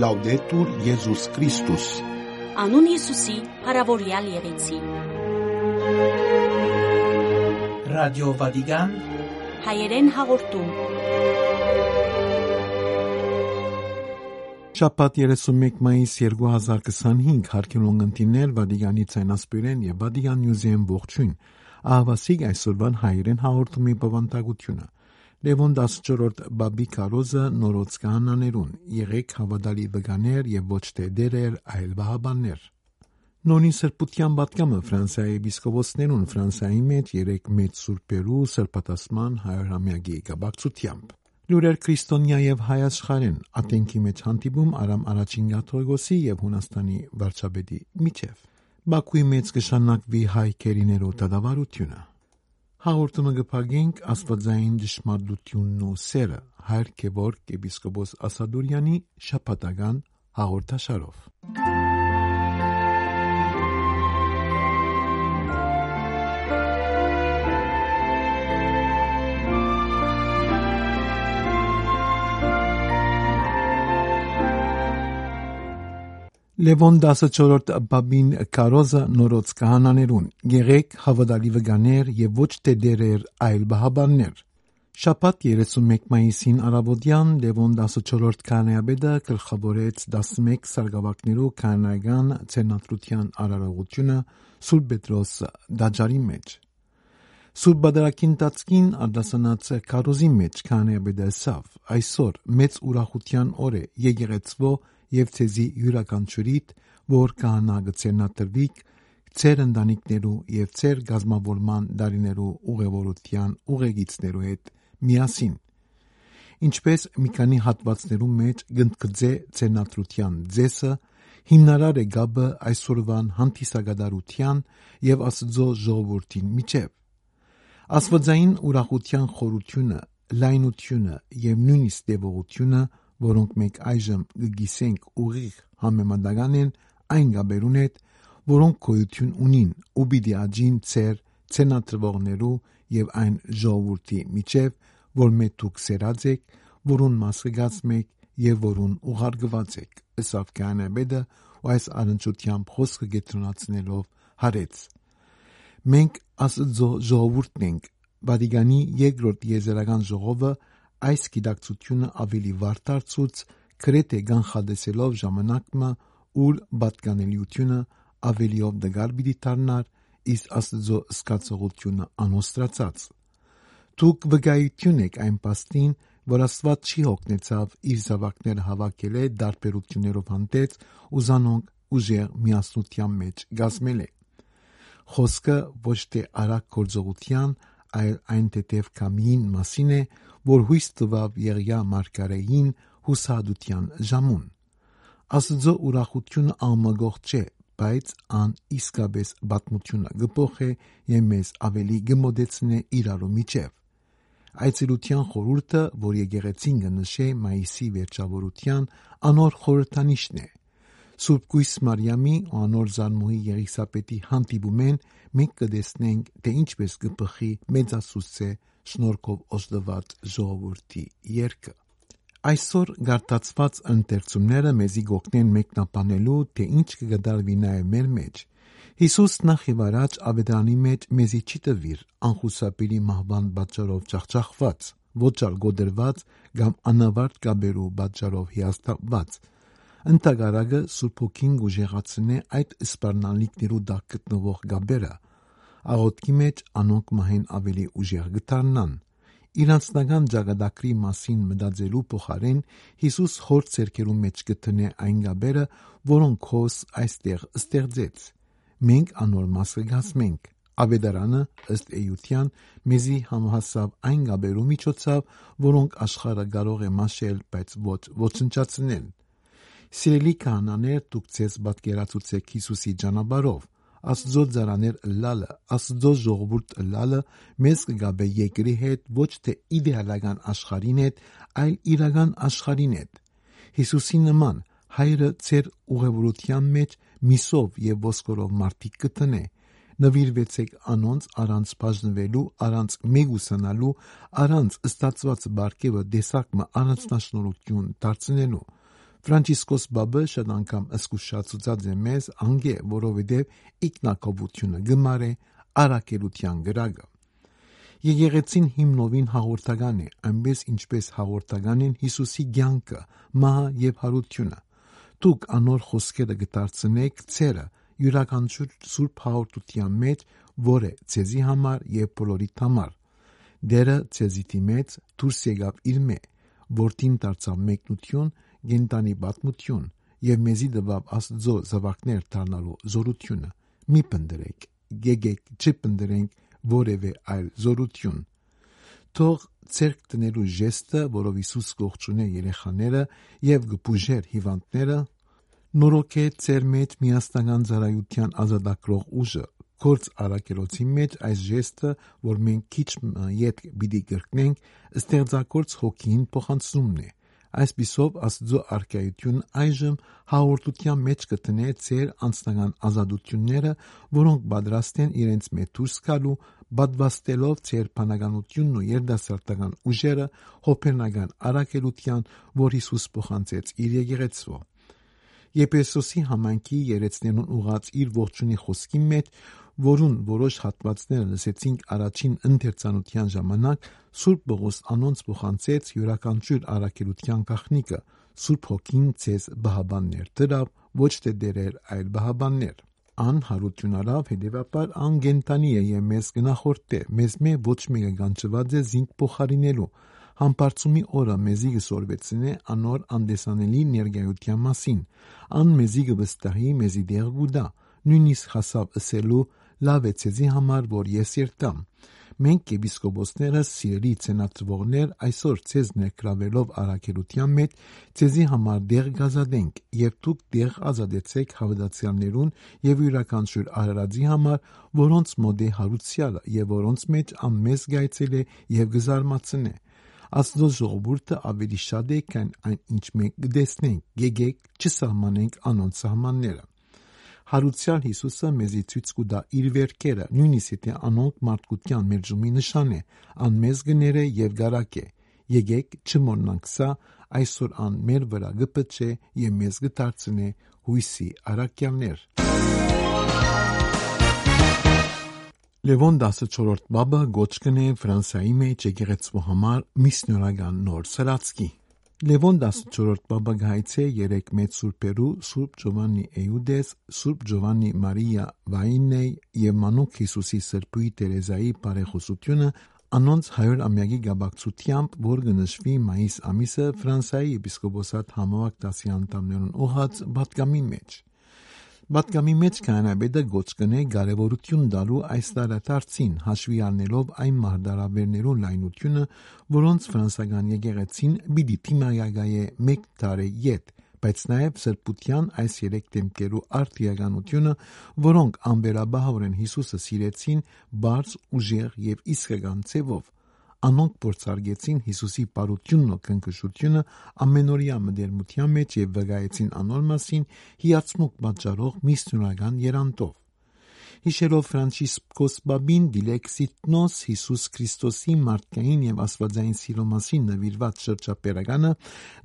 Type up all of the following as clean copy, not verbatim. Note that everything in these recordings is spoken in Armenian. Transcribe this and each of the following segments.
Լաուդետուր Եզուս Քրիստոս։ Անուն Հիսուսի, հարավորյալ եղեցի։ Ռադիո Վատիկան հայերեն հաղորդում։ Շաբաթ 31 մայիս 2025 հարկելուն ընտիներ Վատիկանի ցայնասպիրեն եւ Վատիկան Նյուզեն ողջույն։ Ահավասիկ այսօրվան հայերեն հաղորդումի բավանդակությունը։ Լևոն 14 Բաբի Կարոզը նորոց կահանաներուն, եղեք հավատալի վկաներ եւ ոչ թե դերեր, այլ վահաբաններ։ Նորին սրբության պատգամը Ֆրանսիայի եպիսկոպոսներուն Ֆրանսիայի մեջ 3 մեծ սուրբերու սրբատասման 100-ամյակի կապակցությամբ։ Լուրեր քրիստոնյա եւ հայ աշխարհեն ատենքի մեջ հանդիպում Արամ առաջին կաթողիկոսի եւ Հունաստանի վարչապետի միջև։ Բաքուի մեջ կշանակվի հայ քերիներու դադարությունը։ Հաղորդումը կփակենք աստվածային ճշմարտությունն ու սերը Հայր Գևորգ եպիսկոպոս Ասադուրյանի շաբաթական հաղորդաշարով։ Լևոն 14 Բաբին Կարոզը նորոց կահանաներուն, եղեք հավատալի վկաներ եւ ոչ թե դերեր, այլ վահաբաններ։ Շաբաթ 31 մայիսին առավոտյան Լևոն 14 քահանայապետը գլխավորեց 11 սարգսակներու քահանայական ցերնադրության արարողությունը Սուրբ Պետրոս դաջարի մեջ։ Սուրբ Բադարակին տածկին արդասանած Կարոզի մեջ քահանայապետը ասավ. այսօր մեծ ուրախության օր է եկեղեցվո եւ ցեզի յուրաքանչյուրիդ, որ քահանա գցենատրվիկ, ցեր ընտանիքներու եւ ցեր գազմավորման դարիներու ուղևորության ուղեկիցներու հետ միասին։ Ինչպես մի քանի հատվածներու մեջ գնդկձե ցերնադրության ձեսը հիմնարար է գաբը այսօրվան հանդիսագադարության եւ Աստծո ժողովրդին միջև։ Աստվածային ուրախության խորությունը, լայնությունը եւ նույնիսկ տևողությունը, որոնք մենք այժմ գգիսենք ուղիղ համեմատական են այն գաբերուն հետ, որոնք գոյություն ունին ու պիտի աճին ցեր ցենատրվողներու եւ այն ժողովրդի միջև, որ մեծ դուք սերած եք, որուն մաս կգացմեք եւ որուն ուղարկված եք։ Ըսավ քահանայապետը ու այս առնչությամբ խոսքը գետրոնացնելով հարեց. մենք Աստծո ժողովուրդն ենք, Վատիկանի երկրորդ եզերական ժողովը այս գիտակցությունը ավելի վարտարցուց գրեթե կանխատեսելով ժամանակը, ուր պատկանելիությունը ավելիով դգար պիտի դառնար, իսկ Աստծո սկացողությունը անոստացած։ Դուք վկայություն եք այն պաստին, որ Աստված չի հոգնեցավ իր զավակները հավաքել է դարբերություններով հանդերձ ու զանոնք ուժեղ միասնության մեջ գազմել է։ Խոսքը ոչ թե արագ գործողության, այլ այն թեթև կամիին մասին է, որ հույս տվավ Եղիա մարգարեին հուսահատության ժամուն։ Աստծո ուրախությունը անմագող չէ, բայց ան իսկապես պատմությունը գփոխե եւ մեզ ավելի գմոդեցնե իրարու միջև։ Այցելության խորհուրդը, որ եկեղեցին կնշե մայիսի վերջավորության անոր խորհրդանիշն է։ Սուրբ Կույս Մարիամի ու անոր զարմուհի Եղիսաբետի հանդիպումեն մենք կտեսնենք, թե ինչպես կփխի մեծասուսցե շնորհքով օժտված ժողովրդի երգը։ Այսօր գարտացված ընթերցումները մեզի գօգնեն մեկնաբանելու, թե ինչ կգդարվի նաև մեր մեջ։ Հիսուս նախ եւ առաջ ավետարանի մեջ մեզի չի տվիր անխուսափելի մահվան պատճառով ջախջախված, ոչ ալ գոդրված կամ անավարտ գաբերու պատճառով հիասթափված։ Ընտագարագը Սուրբ Հոգին գուժեղացնե այդ սպառնալիքներու դակ գտնվող գաբերը, աղոթքի մեջ անոնք մահեն ավելի ուժեղ գտարնան։ Իր անձնական ճակատագրի մասին մտածելու փոխարեն Հիսուս հոր ցերկերու մեջ գտնե այն գաբերը, որոնք հոս այստեղ ստեղծեց։ Մենք անոր մասը գազմենք։ Ավետարանը ըստ էության մեզի համահասավ այն գաբերու միջոցով, որոնք աշխարհը կարող է մաշել, բայց ոչ ոչնչացնել։ Սիրելի քահանաներ, դուք ցեզ պատկերացուցեք Հիսուսի ճանապարհով։ Աստծո ծառաներ լալը, Աստծո ժողովուրդ լալը մեզ կգաբե երկրի հետ, ոչ թե իդեալական աշխարհին հետ, այլ իրական աշխարհին հետ։ Հիսուսի նման հայրը ցեր ուղևորության մեջ միսով եւ ոսկորով մարդիկ կտնե։ Նվիրվեցեք անոնց առանց բաժնվելու, առանց մեգուսանալու, առանց ստացված բարգեւը դեսակը առանձնաշնորհություն դարձնելու։ Ֆրանցիսկոս Բաբը շատ անգամ զգուշացուցած է մեզ անգե, որովհետև ինքնակոպությունը գմար է առաքելության գրագը։ Եկեղեցին հիմնովին հաղորդական է, այնպես ինչպես հաղորդական են Հիսուսի կյանքը, մահը եւ հարությունը։ Դուք անոր խոսքերը կդարձնեք ցերը յուրաքանչյուր սուրբ հաղորդության մեջ, որ է ցեզի համար եւ բոլորիդ համար։ Դերը ցեզի դիմեց, դուրս եկավ իր մե, որդին դարձավ մեկնություն, գենտանի պատմություն եւ մեզի դվավ Աստծո զավակներ դառնալու զորությունը։ Մի պնդրեք, գեգեք չպնդրենք որևէ այլ զորություն։ Թող ցերկ տնելու ժեստը, որով Հիսուս կողջունե երեխաները եւ գբուժեր հիվանդները, նորոգե ծեր մեջ միաստական ծառայության ազատագրող ուժը։ Գործ առաքելոցի մեջ այս ժեստը, որ մենք քիչ ետ պիտի կրկնենք, ստեղծագործ հոգին փոխանցումն է։ Այսպիսով Աստծո արքայությունը այժմ հաղորդության մեջ կտնե ծեր անձնական ազատությունները, որոնք պատրաստ են իրենց մեջ դուրս գալու, պատվաստելով ծեր բանականությունն ու երդասարտական ուժերը հոփերնական առաքելության, որ Հիսուս փոխանցեց իր եկեղեցու։ Եփեսոսի համայնքի երեցներուն ուղած իր ողջունի խոսքի մեջ, որուն որոշ հատվածները լսեցինք առաջին ընթերցանության ժամանակ, Սուրբ Պողոս անոնց փոխանցեց յուրաքանչյուր առաքելության գաղտնիքը։ Սուրբ Հոգին ցեզ բահաբաններ դրավ, ոչ թե դերեր, այլ բահաբաններ։ Ան հարություն արավ, հետևաբար ան գենտանի է եւ մեզ գնախորդ է, մեզ մե ոչ մեկը գանչված է զինք փոխարինելու։ Համբարձումի օրը մեզի գսորվեցնե անոր անդեսանելի ներգայության մասին։ Ան մեզի գվստահի, մեզի դեղ գուդա, նույնիսկ հասավ ըսելու լավ է ցեզի համար, որ ես երտամ։ Մենք եպիսկոպոսները սիրելի ցենատրվողներ այսօր ցեզ ներկրավելով առաքելության մեջ ցեզի համար դեղ գազադենք եւ դուք դեղ ազատեցեք հավատացյալներուն եւ յուրաքանչյուր արարածի համար, որոնց մոտ է հարուցյալը եւ որոնց մեջ ամեզ գայցել է եւ գզարմացնե։ Աստծո ժողովուրդը ավելի շատ է, քան այն ինչ մենք կտեսնենք, գեգեք չսահմանենք անոնց սահմանները։ Հարուցյալ Հիսուսը մեզի ցույց կտա իր վերքերը, նույնիսկ եթե անոնք մարդկության մեջումի նշան է, ան մեզ գները եւ գարակե։ Եկեք չմոռնանք սա, այսօր ան մեր վրա գպչե եւ մեզ գդարձնե հույսի առաքյալներ։ Լևոն 14 բաբը գոչկն է Ֆրանսիայի մեջ եկեղեցու համար միսիոնական նոր սրացքի։ Լևոն 14 բաբը գայցե 3 մեծ սուրբերու Սուրբ Ջովաննի Էյուդես, Սուրբ Ջովաննի Մարիա Վայինեյ եւ Մանուկ Հիսուսի Սրբույի Տերեզայի բարեխոսությունը անոնց 100-ամյակի գաբակցությամբ, որ կնշվի մայիս ամիսը Ֆրանսիայի եպիսկոպոսատ համավարակ դասի անդամներուն ուղղած պատգամի մեջ։ Պատգամի մեջ կանանաբեդը գոչ կնե կարևորություն տալու այս տարածին, հաշվի առնելով այն մարտահրավերներու լայնությունը, որոնց ֆրանսիական եկեղեցին պիտի դիմակայե մեկ տարի յետ, բայց նաև սրբության այս 3 դեմքերու արդիականությունը, որոնք անվերաբահորեն Հիսուսը սիրեցին բարձ, ուժեղ եւ իսկական ձևով։ Անոնք փորձարկեցին Հիսուսի բարությունն ու քնքշությունը ամենօրյա մտերմության մեջ եւ վկայեցին անոր մասին հիացմուկ պատճառող միսիոնական երանդով։ Հիշելով Ֆրանցիսկոս Բաբին դիլեքսիտնոս Հիսուս Քրիստոսի մարդկային եւ աստվածային սիրո մասին նվիրված շրջապերականը,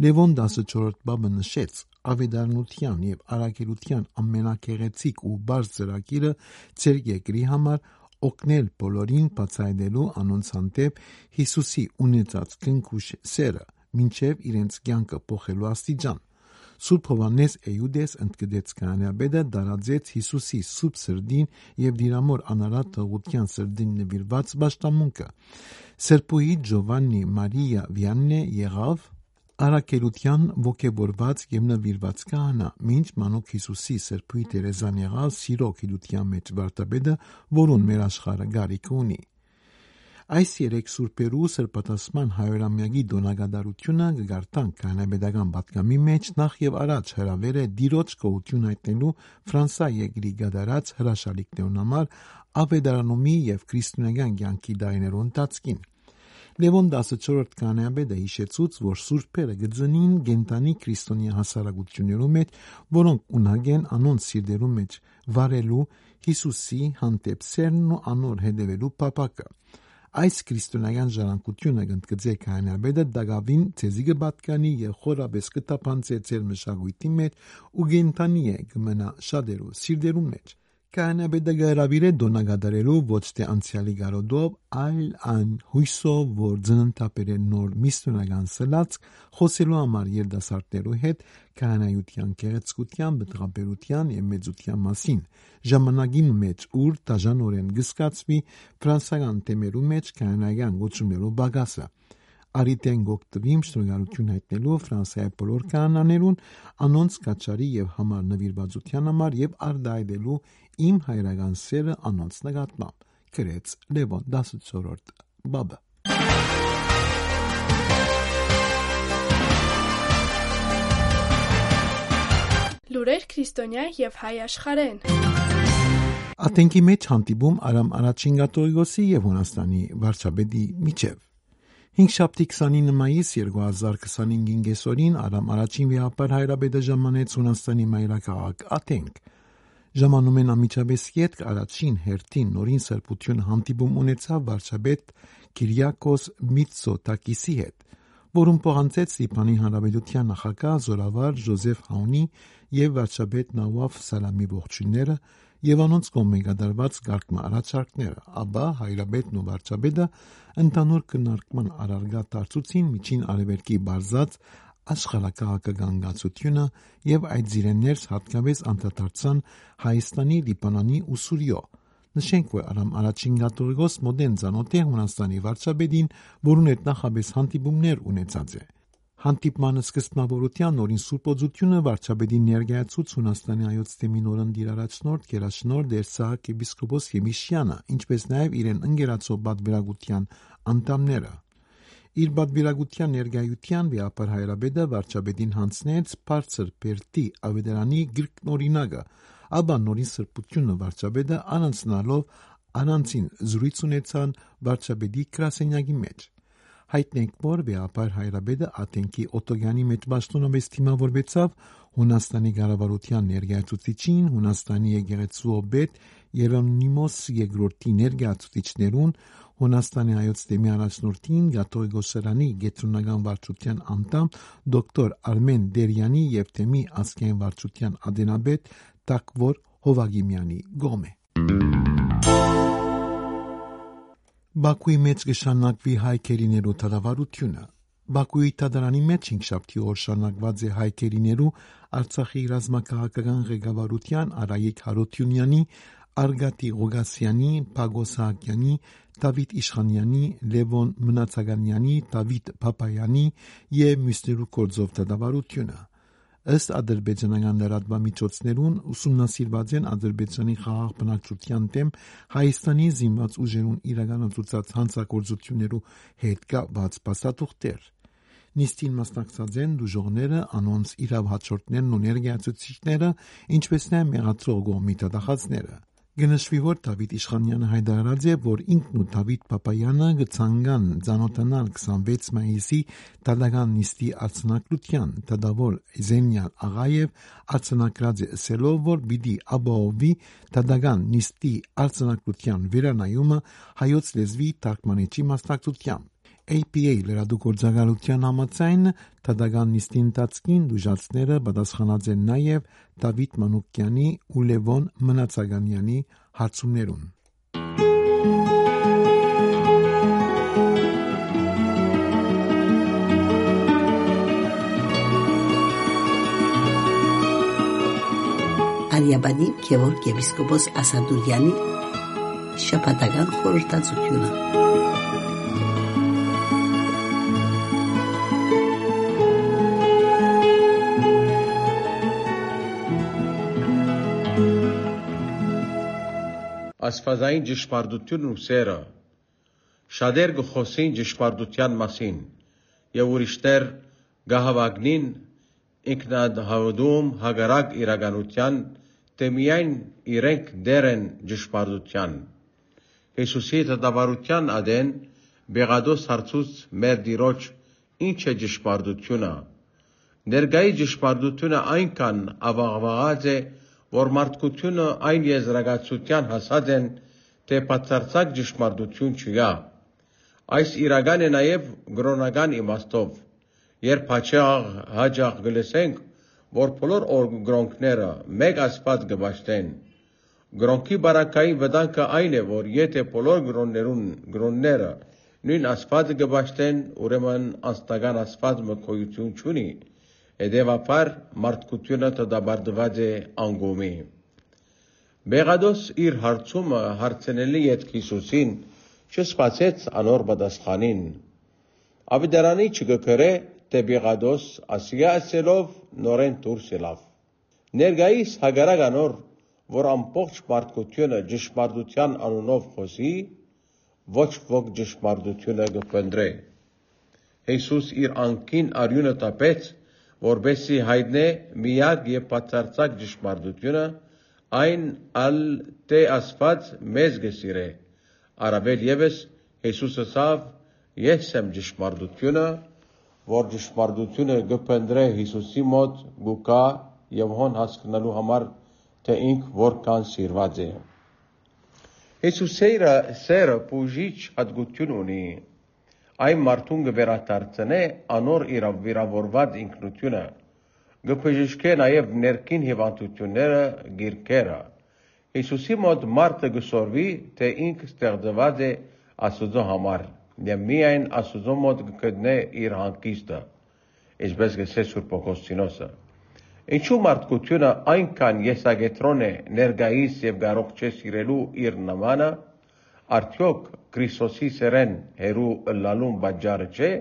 Լևոն 14 բաբը նշեց ավետարանության եւ առաքելության ամենակեղեցիկ ու բարձ ծրագիրը ցեր երկրի համար օգնել բոլորին բացահայտելու անոնց հանդեպ Հիսուսի ունեցած քնքուշ սերը, մինչև իրենց կյանքը փոխելու աստիճան։ Սուրբ Հովհաննես Էյուդես ընդգծեց կանանաբեդը դարաձեց Հիսուսի սուրբ սրդին եւ դիրամոր անարատ թողության սրդին նվիրված պաշտամունքը։ Սրբուհի Ջովաննի Մարիա Վիաննե եղավ առաքելության ոգևորված եւ նվիրված կանա, մինչ Մանուկ Հիսուսի Սրբուհի Տերեզան եղավ սիրո գիտության մեջ վարտաբեդը, որուն մեր աշխարհը գարիք ունի։ Այս 3 սուրբերու սրբատասման 100-ամյակի դոնակատարությունը կգարտան կանանաբեդական պատգամի մեջ նախ եւ առաջ հրավեր է դիրոջ գոհություն հայտնելու Ֆրանսիա երկրի գդարած հրաշալիքներուն համար ավետարանումի եւ քրիստոնեական կյանքի դարիներու ընթացքին։ Լևոն 14 կանանաբեդը հիշեցուց, որ սուրբերը գծնին գենտանի քրիստոնյա հասարակություններու մեջ, որոնք ունակ են անոնց սիրտերու մեջ վարելու Հիսուսի հանդեպ սերն ու անոր հետևելու փափակը։ Այս քրիստոնեական ժառանգությունը գտնկծե քահանաբեդը դակավին ցեզի կբատկանի եւ խորաբես կտապանցե ծեր մշակույթի մեջ ու գենթանի է կմնա շատերու սիրտերու մեջ։ Քահանաբեդը գարավիրե դոնագադարելու ոչ թե անցյալի գարոդով, այլ այն հույսով, որ ծննդապեր է նոր միստոնական սլած խոսելու համար երդասարտներու հետ քահանայության գեղեցկության, բտղաբերության եւ մեծության մասին, ժամանակին մեջ ուր դաժանորեն գսկացվի ֆրանսական թեմերու մեջ քահանայական գոչումներու բագասը։ Արիտեն գոկտվիմ շնորհալություն հայտնելու Ֆրանսիայի բոլոր քահանաներուն, անոնց կաչարի եւ համար նվիրվածության համար եւ արդայդելու իմ հայրական սերը անոնց նկատմամբ, գրեց Լևոն 14-րդ բաբը։ Լուրեր քրիստոնյա եւ հայ աշխարհեն։ Աթենքի մեջ հանդիպում Արամ առաջին կաթողիկոսի եւ Հունաստանի վարչապետի միջև։ 5 29 մայիս 2025-ին գեսորին Արամ առաջին վիապար հայրապետը ժամանեց Հունաստանի մայրաքաղաք Աթենք։ Ժամանում են ամիջապես ետք առաջին հերթին նորին սրբություն հանդիպում ունեցավ վարչապետ Կիրիակոս Միցոտակիսի հետ, որում փոխանցեց Լիբանի Հանրապետության նախագահ Զորավար Ժոզեֆ Հանունի եւ վարչապետ Նավաֆ Սալամի ողջույնները եւ անոնց կողմէ կատարված գարկման առաջարկները, ապա հայրապետն ու վարչապետը ընդհանուր քննարկման առարգա դարձուցին միջին արևելքի բարձած աշխարհակաղակական գացությունը եւ այդ զիրեններս հատկապես անդրադարձան Հայաստանի, Լիբանանի ու Սուրիո։ Նշենք, որ Արամ առաջին կաթողիկոս մոդեն ցանոթ է Հունաստանի վարչապետին, որուն հետ նախապես հանդիպումներ ունեցած է։ Հանդիպման սկզբնավորության նորին սուրբոծությունը վարչապետին ներկայացուց Հունաստանի հայոց թեմի նորընտիր առաջնորդ Գերաշնորհ Դերսահակ եպիսկոպոս Եմիշյանը, ինչպես նաև իրեն ընկերացող պատվիրակության անդամները։ Իր պատվիրակության ներկայության վիապար հայրապետը վարչապետին հանձնեց բարձր բերդի ավետարանի գրքնօրինակը, ապա նորին սրբությունը վարչապետը անցնալով առանցին զրույց ունեցան վարչապետի գրասենյակի մեջ։ Հայտնենք, որ վիապար հայրապետը Աթենքի օտոգանի մեջ պաշտոնապես դիմավորվեցավ Հունաստանի կառավարության ներկայացուցիչին, Հունաստանի եկեղեցու պետ Երոնիմոս II ներկայացուցիչներուն, Հունաստանի հայոց թեմի առաջնորդին, կաթողիկոսարանի գետրոնական վարչության անդամ դոկտոր Արմեն Դերյանի եւ թեմի ազգային վարչության ադենաբեդ Տակվոր Հովագիմյանի գոմե։ Բաքուի մեջ կշանակվի հայքերիներու թադավարությունը։ Բաքուի թադարանի մեջ 5 օր շարունակված է հայքերիներու Արցախի ռազմաքաղաքական ղեկավարության Արայիկ Հարությունյանի, Արգատի Ղուգասյանի, Փագոս Սահակյանի, Դավիթ Իշխանյանի, Լևոն Մնացականյանի, Դավիթ Փապայանի եւ մյուսներու կորձով թադավարությունը։ Ըստ ադրբեջանական լրատվամիջոցներուն ուսումնասիրված են Ադրբեջանի խաղաղ բնակչության դեմ Հայաստանի զինված ուժերուն իրականացուցած հանցագործություններու հետ կապված փաստաթուղթեր։ Նիստին մասնակցած են դժողները, անոնց իրավ հաջորդներն ու ներկայացուցիչները, ինչպես նաև մեղադրող կողմի դատախազները։ Գնշվի, որ Դավիթ Իշխանյանը հայտարարած է, որ ինքն ու Դավիթ Փապայանը կցանգան ծանոթանալ 26 մայիսի դատական նիստի արձանագրության, դատավոր Զենյալ Աղաև արձանագրած է ասելով, որ պիտի ապահովի դատական նիստի արձանագրության վերանայումը հայոց լեզվի թարգմանիչի մասնակցությամբ։ APA լրատվագործակալության համաձայն դատական նիստի ընթացքին դժվարները պատասխանած են նաև Դավիթ Մանուկյանի ու Լևոն Մնացականյանի հարցումներուն։ Արիաբանի Գևորգ եպիսկոպոս Ասադուրյանի շաբաթական խորհրդածությունը։ Աստվածային ճշմարտությունն ու սերը շատեր կխոսին ճշմարտության մասին եւ ուրիշներ կհավակնին ինքնահավատում հակառակ իրականության, թե միայն իրենք դեր են ճշմարտության։ Հիսուսի դատավարության ադեն Բեղադոս հարցուց մեր Տիրոջ ինչ է ճշմարտությունը։ Ներկայի ճշմարտությունը այնքան ավաղվաղած է, որ մարդկությունը այն եզրակացության հասած են, թե բացարձակ ճշմարտություն չկա։ Այս իրական է նաև գրոնական իմաստով, երբ հաճախ գլսենք, որ բոլոր գրոնքները մեկ Աստված կբաշխեն։ Գրոնքի բարակային վտանգը այն է, որ եթե բոլոր գրոնները նույն Աստվածը կբաշխեն, ուրեմն անձնական Աստված գոյություն չունի, հետևաբար մարդկությունը դադարեցված է անկոմի։ Բեղադոս իր հարցումը հարցնելի ետք Հիսուսին չսպասեց անոր պատասխանին։ Ավետարանի չգրե, թե Բեղադոս ասիա ասելով նորեն դուրս ելավ։ Ներկայիս հակառակ անոր, որ ամբողջ մարդկությունը ճշմարտության անունով խոսի, ոչ ոք ճշմարտությունը կփնտրե։ Հիսուս իր անքին արյունը տապեց, որպեսզի հայտնե միակ եւ բացարձակ ճշմարտությունը, այն ալ թե Աստված մեզ գսիրե։ Առավել ևս Հիսուսը ասավ. Ես եմ ճշմարտությունը, որ ճշմարտությունը կփնտրե Հիսուսի մոտ գուկա եւ հոն հասկանալու համար, թե ինք որքան սիրված է։ Հիսուսի սերը բուժիչ հատկություն ունի։ Այն մարդուն կվերադարձնե անոր վիրավորված ինքնությունը, կբժշկե նաև ներքին հիվանդությունները, գիրքերը։ Հիսուսի մոտ մարդը կսորվի, թե ինքը ստեղծված է Աստծո համար, եւ միայն Աստծո մոտ կգտնե իր հանգիստը, ինչպես գսե Սուրբ Օգոստինոսը։ Ինչու մարդկությունը այնքան եսակետրոն է ներկայիս եւ կարող չէ սիրելու իր նմանը, արդյոք Քրիստոսի սերեն հերու ըլլալուն պատճառը չէ։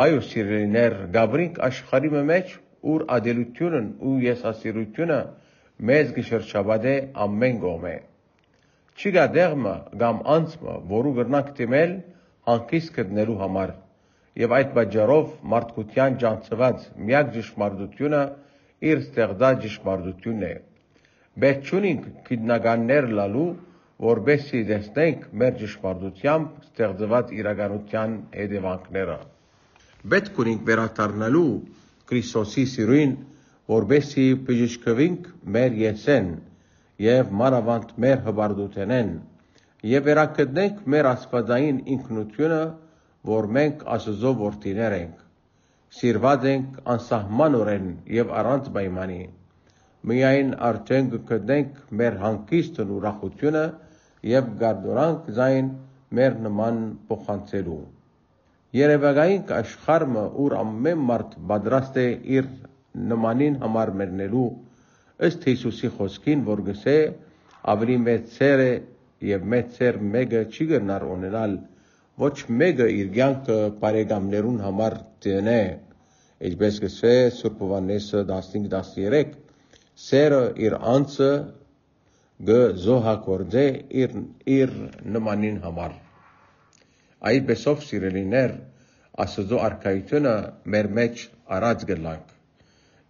Այո, սիրելիներ, գաբրինք աշխարհի մեջ, ուր ադելությունն ու եսասիրությունը մեզ կշրջապատե ամեն կողմէ։ Չկա դեղմը կամ անցմը, որու կրնանք դիմել հանգիստ գտնելու համար, եւ այդ պատճառով մարդկության ճանաչված միակ ճշմարտությունը իր ստեղծած ճշմարտությունն է։ Պետք չունենք գիտնականներ լալու, որպեսզի տեսնենք մեր ճշմարտությամբ ստեղծված իրականության հետևանքները։ Պետք ունենք վերադառնալու Քրիստոսի սիրուն, որպեսզի բժշկվենք մեր եսեն եւ մանավանդ մեր հբարդութենեն եւ վերագտնենք մեր աստվածային ինքնությունը, որ մենք Աստծո որդիներ ենք, սիրված ենք անսահմանորեն եւ առանց պայմանի։ Միայն արդեն կգտնենք մեր հանգիստն ու ուրախությունը եւ գարդորանք զայն մեր նման փոխանցելու։ Երևակայինք աշխարհը, ուր ամեն մարդ պատրաստ է իր նմանին համար մեռնելու, ըստ Հիսուսի խոսքին, որ գսե ավելի մեծ սեր է եւ մեծ սեր մեկը չի գնար ունենալ, ոչ մեկը իր կյանքը բարեկամներուն համար դնե, ինչպես գսե Սուրբ Հովհաննեսը 15:13, սերը իր անձը գզոհակորձե իր նմանին համար։ Այդպեսով սիրելիներ, Աստծո արքայությունը մեր մեջ առաջ գլանք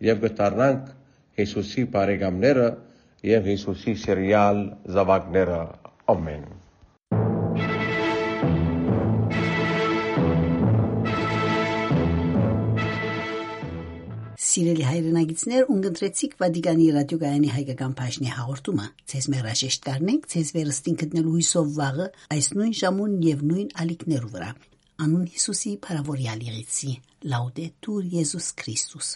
եւ գտարնանք Հիսուսի բարեկամները եւ Հիսուսի սիրյալ զավակները։ Ամեն։ Սիրելի հայրենագիտներ, ունգընտրեցիք Վատիկանի ռադիոգայանի հայկական բաժնի հաղորդումը։ Ձեզ մերաշեշտ կարնենք, ձեզ վերստին գտնելու հույսով վաղը այս նույն ժամուն եւ նույն ալիքներու վրա։ Անուն Հիսուսի փարավորյալ եղեցի։ Լաուդետուր Եզուս Քրիստոս։